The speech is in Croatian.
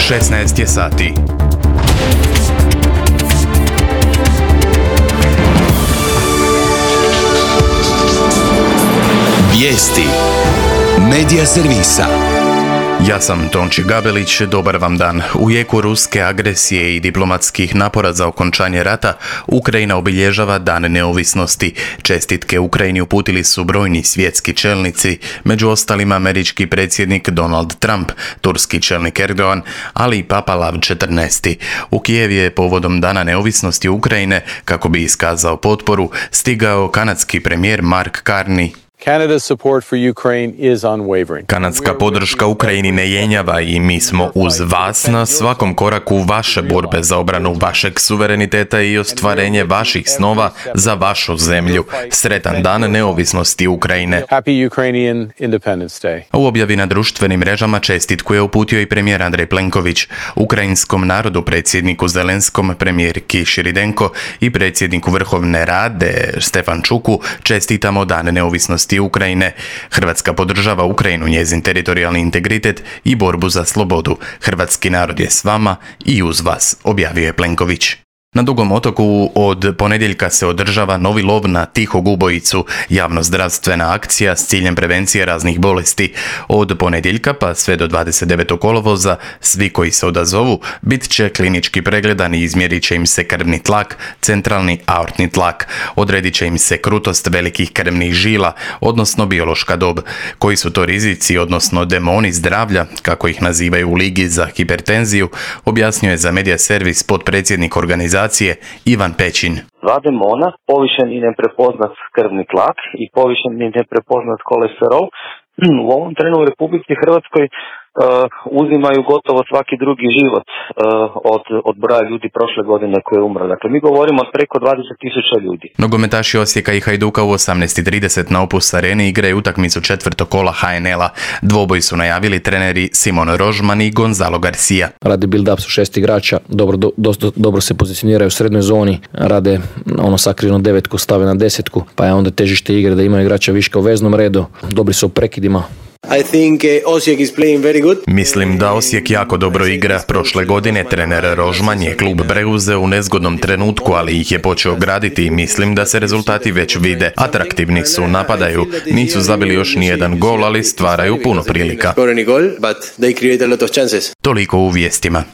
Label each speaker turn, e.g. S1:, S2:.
S1: 16 je sati.
S2: Vijesti Medija servisa.
S1: Ja sam Tonči Gabelić, dobar vam dan. U jeku ruske agresije i diplomatskih napora za okončanje rata, Ukrajina obilježava Dan neovisnosti. Čestitke Ukrajini uputili su brojni svjetski čelnici, među ostalima američki predsjednik Donald Trump, turski čelnik Erdogan, ali i Papa Lav XIV. U Kijev je povodom Dana neovisnosti Ukrajine, kako bi iskazao potporu, stigao kanadski premijer Mark Carney. Kanadska podrška Ukrajini ne jenjava i mi smo uz vas na svakom koraku vaše borbe za obranu vašeg suvereniteta i ostvarenje vaših snova za vašu zemlju. Sretan dan neovisnosti Ukrajine. U objavi na društvenim mrežama čestitku je uputio i premijer Andrej Plenković. Ukrajinskom narodu, predsjedniku Zelenskom, premijerki Širidenko i predsjedniku Vrhovne Rade Stefančuku čestitamo Dan neovisnosti Ukrajine. Hrvatska podržava Ukrajinu, njezin teritorijalni integritet i borbu za slobodu. Hrvatski narod je s vama i uz vas, objavio je Plenković. Na Dugom otoku od ponedjeljka se održava novi lov na tihog ubojicu, javnozdravstvena akcija s ciljem prevencije raznih bolesti. Od ponedjeljka pa sve do 29. kolovoza svi koji se odazovu bit će klinički pregledani i izmjerit će im se krvni tlak, centralni aortni tlak, odredit će im se krutost velikih krvnih žila, odnosno biološka dob. Koji su to rizici, odnosno demoni zdravlja, kako ih nazivaju u Ligi za hipertenziju, objasnio je za Medija servis potpredsjednik organizacije Ivan Pećin.
S3: Dva demona, povišen i neprepoznat krvni tlak i povišen i neprepoznat kolesterol, u ovom trenu u Republici Hrvatskoj uzimaju gotovo svaki drugi život od broja ljudi prošle godine koji je umro. Dakle, mi govorimo od preko 20.000 ljudi.
S1: Nogometaši Osijeka i Hajduka u 18:30 na Opus Areni igraju utakmicu četvrtog kola HNL-a. Dvoboj su najavili treneri Simon Rožman i Gonzalo Garcia.
S4: Rade build-up su 6 igrača, dobro se pozicioniraju u srednjoj zoni, rade sakrivnu devetku, stave na desetku, pa je onda težište igre da imaju igrača viška u veznom redu, dobri su u prekidima.
S1: Mislim da Osijek jako dobro igra. Prošle godine trener Rožman je klub preuzeo u nezgodnom trenutku, ali ih je počeo graditi i mislim da se rezultati već vide. Atraktivni su, napadaju, nisu zabili još nijedan gol, ali stvaraju puno prilika. Toliko u vijestima.